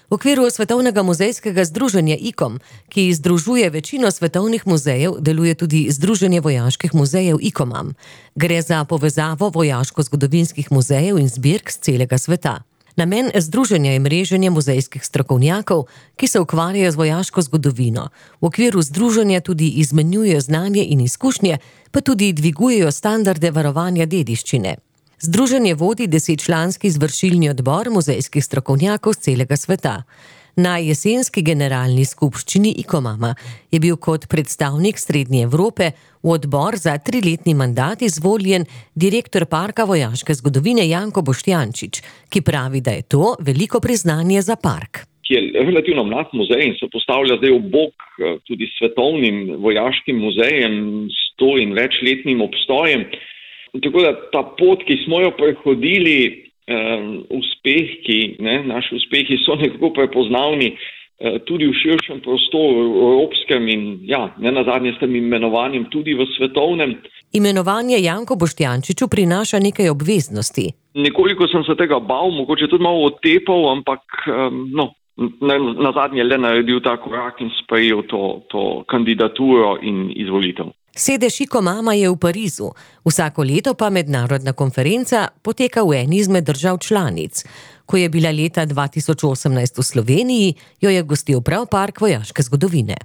V okviru Svetovnega muzejskega združenja ICOM, ki združuje večino svetovnih muzejev, deluje tudi Združenje vojaških muzejev ICOMAM. Gre za povezavo vojaško-zgodovinskih muzejev in zbirk z celega sveta. Namen združenja je mreženje muzejskih strokovnjakov, ki se ukvarjajo z vojaško zgodovino. V okviru združenja tudi izmenjujejo znanje in izkušnje, pa tudi dvigujejo standarde varovanja dediščine. Združenje vodi 10-članski izvršilni odbor muzejskih strokovnjakov z celega sveta. Na jesenski generalni skupščini ICOMAMA je bil kot predstavnik Srednje Evrope v odbor za 3-letni mandat izvoljen direktor Parka vojaške zgodovine Janko Boštjančič, ki pravi, da je to veliko priznanje za park. Ki je relativno mlad muzej in se postavlja zdaj v bok tudi svetovnim vojaškim muzejem s 100 in večletnim obstojem. Tako da ta pot, ki smo jo prehodili, naši uspehi so nekako prepoznavni tudi v širšem prostoru, evropskem in nenazadnje s tem imenovanjem tudi v svetovnem. Imenovanje Janko Boštjančiču prinaša nekaj obveznosti. Nekoliko sem se tega bal, mogoče tudi malo otepal, ampak nazadnje le naredil ta korak in sprejel to kandidaturo in izvolitev. Sedež ICOMAMA je v Parizu, vsako leto pa mednarodna konferenca poteka v eni izmed držav članic. Ko je bila leta 2018 v Sloveniji, jo je gostil prav Park vojaške zgodovine.